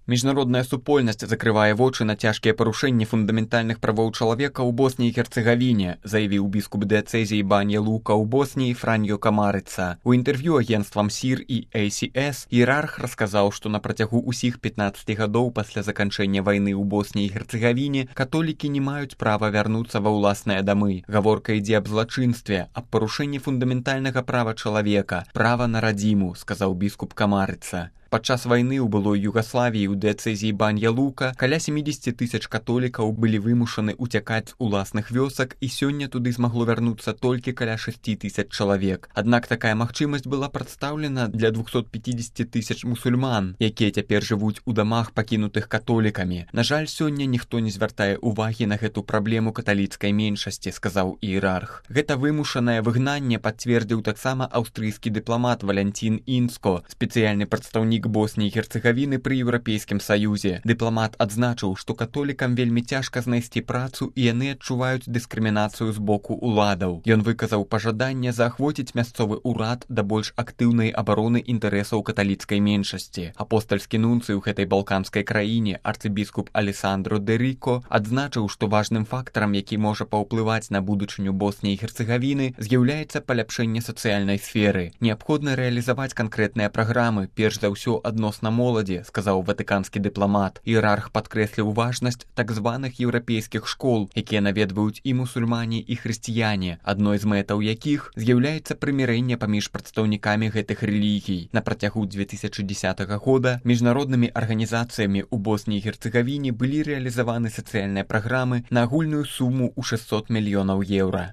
Міжнародная супольнасць закрывае вочы на цяжкія парушэнні фундаментальных правоў чалавека ў Босніі і Герцэгавіне, заявіў біскуп дыяцэзіі Баня Лука ў Босніі Франьо Камарыца. У інтэрв'ю агенцтвам СІР і ACS іерарх расказаў, што на працягу ўсіх 15 гадоў пасля заканчэння вайны ў Босніі і Герцэгавіне католікі не маюць права вярнуцца ва ўласныя дамы. Гаворка ідзе аб злачынстве, аб парушэнні фундаментальнага права чалавека, права на радзіму, сказаў біскуп Камарыца. Падчас вайны ў былой Югаславіі ў дыяцэзіі Баня Лука каля 70 000 католікаў былі вымушаны ўцякаць з уласных вёсак, і сёння туды змагло вярнуцца толькі каля 6 000 чалавек. Аднак такая магчымасць была прадстаўлена для 250 000 мусульман, якія цяпер жывуць у дамах, пакінутых католікамі. На жаль, сёння ніхто не звяртае ўвагі на гэту праблему каталіцкай меншасці, сказаў іерарх. Гэта вымушанае выгнанне пацвердзіў таксама аўстрыйскі дыпламат Валянцін Інско, спецыяльны прадстаўнік Босніі і Герцэгавіны пры Еўрапейскім Саюзе. Дыпламат адзначыў, што католікам вельмі цяжка знайсці працу і яны адчуваюць дыскрымінацыю з боку ўладаў. Ён выказаў пажаданне заахвоціць мясцовы ўрад да больш актыўнай абароны інтарэсаў каталіцкай меншасці. Апостальскі нунцый у гэтай балканскай краіне, арцыбіскуп Алесандро де Рико, адзначыў, што важным фактарам, які можа паўплываць на будучыню Босніі і Герцэгавіны, з'яўляецца паляпшэнне сацыяльнай сферы. Неабходна рэалізаваць канкрэтныя праграмы, перш за ўсё адносна моладзі, сказаў ватыканскі дыпламат. Іерарх падкрэсліў важнасць так званых еўрапейскіх школ, якія наведваюць і мусульмане, і хрысціяне, адной з мэтаў якіх з'яўляецца прымірэнне паміж прадстаўнікамі гэтых рэлігій. На працягу 2010 года міжнароднымі арганізацыямі ў Босніі і Герцэгавіне былі рэалізаваны сацыяльныя праграмы на агульную суму ў 600 мільёнаў еўра.